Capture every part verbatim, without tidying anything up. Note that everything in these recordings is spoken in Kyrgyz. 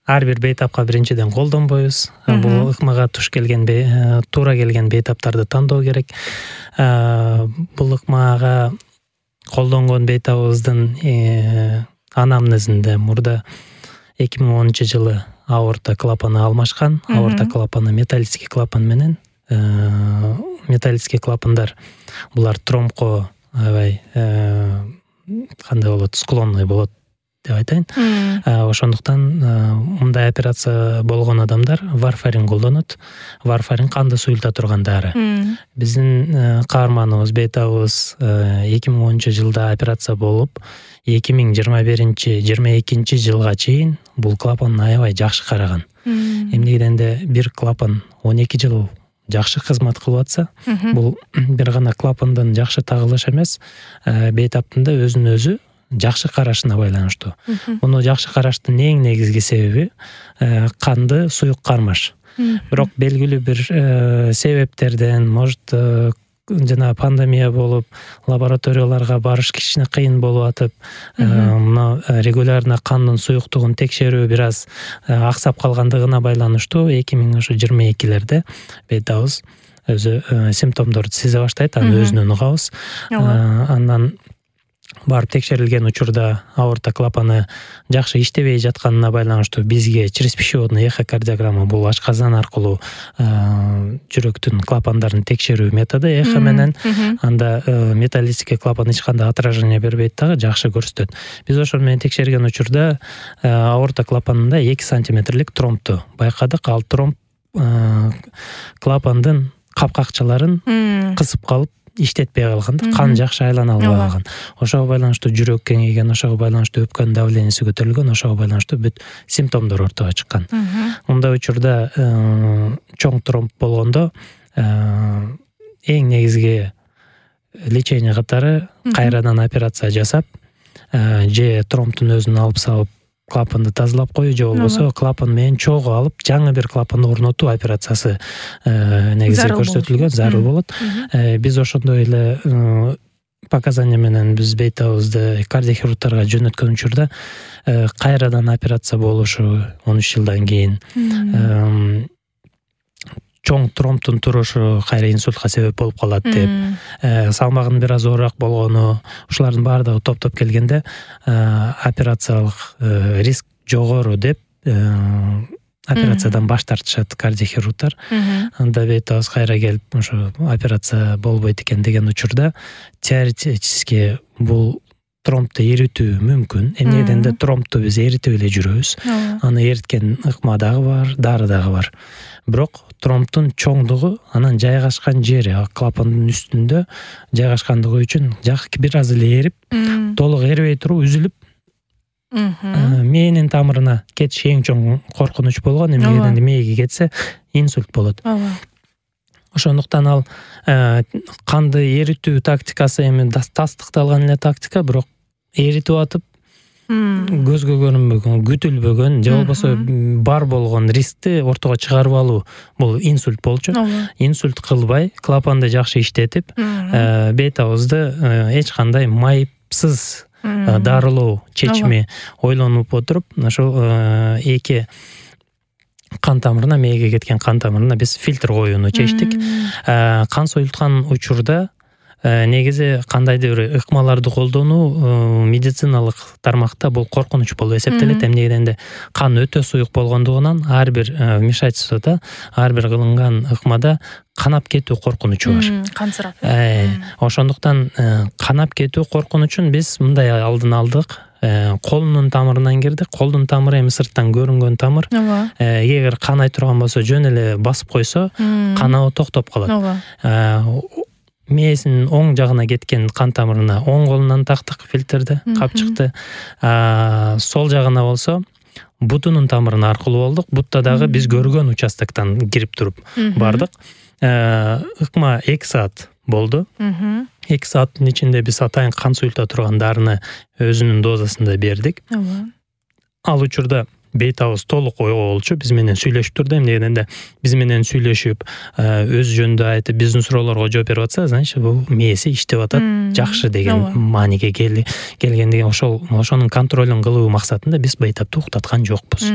ар бир бейтапка биринчиден колдонбойбуз. Бул ыкмага туш келген туура келген бейтаптарды тандоо керек. Бул ыкмага колдонгон бейтабыбыздын анамнезинде мурда эки миң онунчу жылы аорта клапаны алмашкан. Аорта клапаны металлический клапан менен. Металлический клапандар булар тромбко аябай кандай болот, склонный болот деп айтайын. Ошондуктан мындай операция болгон адамдар варфарин колдонот. Варфарин канды суюлта турган дары. Биздин каарманыбыз, бейтабыбыз эки миң онунчу жылда операция болуп, эки миң жыйырма биринчи жыйырма экинчи жылга чейин бул клапан аябай жакшы караган. Эмнегенде бир клапан он эки жыл жакшы кызмат кылып атса, бул бир гана клапандан жакшы тагылыш эмес, бейтаптын да өзүн өзү жакшы карашына байланыштуу. Муну жакшы караштын эң негизги себеби канды суюк кармаш. Бирок белгилүү бир себептерден, может, жана пандемия болуп, лабораторияларга барыш кичине кыйын болуп атып, мына регулярно кандын суюктугун текшерүү бир аз аксап калгандыгына байланыштуу эки миң жыйырма экилерде бейтабыбыз өзү симптомдорду сезе баштайт, аны өзүнөн угабыз. Андан барып текшерилген учурда аорта клапаны жакшы иштебей жатканына байланыштуу бизге через пищеводный эхокардиограмма, бул ашказан аркылуу жүрөктүн клапандарын текшерүү методу эхо менен, анда металлический клапан эч кандай отражение бербейт дагы, жакшы көрсөтөт. Биз ошол менен текшерген учурда аорта клапанында эки сантиметрлик тромбту байкадык. Ал тромб клапандын капкакчаларын кысып калып иштетпей калган, кан жакшы айлана албай калган. Ошого байланыштуу жүрөк кеңейген, ошого байланыштуу өпкөнүн давленияси көтөрүлгөн, ошого байланыштуу бүт симптомдор ортого чыккан. Мындай учурда чоң тромб болгондо эң негизги лечение катары кайрадан операция жасап, же тромбтун өзүн алып салып клапанды тазалап коюу, же болбосо клапан менен чогуу алып жаңы бир клапан орнотуу операциясы негизи көрсөтүлгөн, зарыл болот. Биз ошондой эле показания менен биз бейтабыбызды кардиохирургтарга жөнөткөн учурда кайрадан операция болушу он үч жылдан кийин, чоң тромбтун турушу кайра инсультка себеп болуп калат деп, салмагынын бир аз оорураак болгону, ушулардын баардыгы топтоп келгенде операциялык риск жогору деп операциядан баш тартышат кардиохирургтар. Анда бейтабыз кайра келип ошо операция болбойт экен деген учурда теоретически бул тромбту эритүү мүмкүн. Эмнегенде тромбту биз эритип эле жүрөбүз. Аны эриткен ыкма дагы бар, дары дагы бар. Бирок тромбтун чоңдугу анан жайгашкан жери, клапандын үстүндө жайгашкандыгы үчүн бир аз эле эрип, толук эрибей туруп үзүлүп, мээнин тамырына кетиш эң чоң коркунуч болгон. Эмнегенде мээге кетсе инсульт болот. Ошондуктан ал канды эритүү тактикасы эми тастыкталган эле тактика, бирок эритип атып көзгө көрүнбөгөн, күтүлбөгөн, же болбосо бар болгон рискти ортого чыгарып алуу, бул инсульт болчу. Инсульт кылбай, клапанды жакшы иштетип, бейтабызды эч кандай майыпсыз дарылоо чечими ойлонуп отуруп, ошол эки кан тамырына, мээге кеткен кан тамырына биз фильтр коюуну чечтик. Кан союлткан учурда негизи кандайдыр бир ыкмаларды колдонуу медициналык тармакта бул коркунуч болуп эсептелет. Эмнегенде кан өтө суюк болгондугунан ар бир вмешательствода, ар бир кылынган ыкмада канап кетүү коркунучу бар. Кансырап. Ошондуктан канап кетүү коркунучун биз мындай алдын алдык. Колунун тамырынан кирдик. Колдун тамыры эми сырттан көрүнгөн тамыр. Эгер канай турган болсо, жөн эле басып койсо, каноо токтоп калат. Мээсинин оң жагына кеткен кан тамырына оң колунан тактык фильтрди, капчыкты. Сол жагына болсо бутунун тамырына аркылуу болдук. Бутта дагы биз көргөн участоктон кирип туруп бардык. Ыкма эки саат болду. эки сааттын ичинде биз атайын кан суюлта турган дарыны өзүнүн дозасында бердик. Ал учурда бейтабыз толук ойго болчу, биз менен сүйлөшүп турду. Эмнегенде биз менен сүйлөшүп, өз жөнүндө айтып, биздин суроолорго жооп берип атса, значит, бул мээси иштеп атат, жакшы деген мааниге келгендиги, ошол ошонун контролун кылуу максатында биз бейтапты уктаткан жокпуз.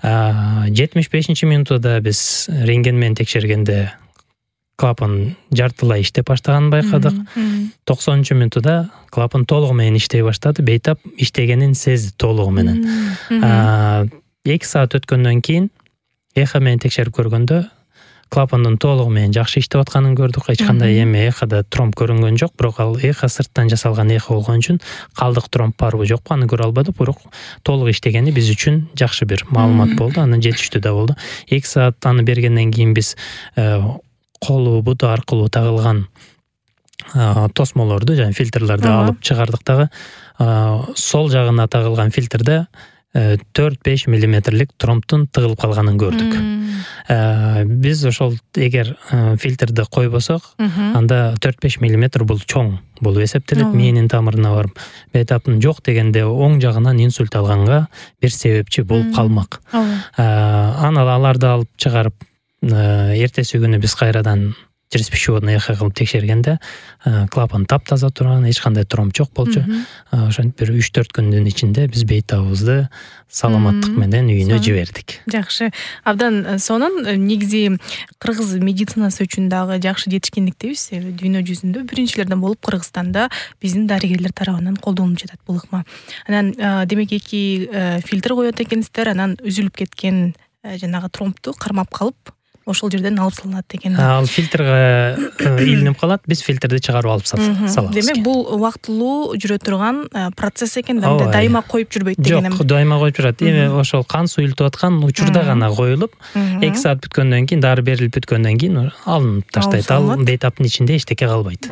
жетимиш бешинчи минутуда биз рентген менен текшергенде клапан жартылай иштеп баштаганын байкадык. токсонунчу минутуда клапан толугу менен иштей баштады. Бейтап иштегенин сезди толугу менен. эки саат өткөндөн кийин эхо менен текшерип көргөндө клапандын толугу менен жакшы иштеп атканын көрдүк. Эч кандай эми эхода тромб көрүнгөн жок, бирок ал эхо сырттан жасалган эхо болгон үчүн калдык тромб барбы жокпу аны көрө албадык, бирок толук иштегени биз үчүн жакшы бир маалымат болду. Анан жетиштүү да болду. эки саат аны бергенден кийин биз колу буту аркылуу тагылган тосмолорду, жана фильтрлерди алып чыгардык дагы. Сол жагына тагылган фильтрде төрт беш миллиметрлик тромбтун тыгылып калганын көрдүк. Биз ошол эгер фильтрди койбосок, анда төрт беш миллиметр бул чоң болуп эсептелет. Мээнин тамырына барып, бейтаптын жок дегенде оң жагынан инсульт алганга бир себепчи болуп калмак. Аны аларды алып чыгарып, эртеси күнү биз кайрадан через пищеводный эхо кылып текшергенде клапан таптаза турган, эч кандай тромб жок болчу. Ошентип бир үч төрт күндүн ичинде биз бейтабыбызды саламаттык менен үйүнө жибердик. Жакшы. Абдан сонун негизи кыргыз медицинасы үчүн дагы жакшы жетишкендиктебиз. Дүйнө жүзүндө биринчилерден болуп Кыргызстанда биздин дарыгерлер тарабынан колдонулуп жатат бул ыкма. Анан демек эки фильтр коет экенсиздер, анан үзүлүп кеткен жанагы тромбту кармап калып ошол жерден алып салынат экен. Ал фильтрге илинип калат, биз фильтрди чыгарып алып салабыз. Демек бул убактылуу жүрө турган процесс экен да, дайыма коюп жүрбөйт деген эми. Жок, дайыма коюп жүрөт. Эми ошол кан суюлтуп аткан учурда гана коюлуп, эки саат бүткөндөн кийин, дары берилип бүткөндөн кийин алынып таштайт. Ал бейтаптын ичинде эчтеке калбайт.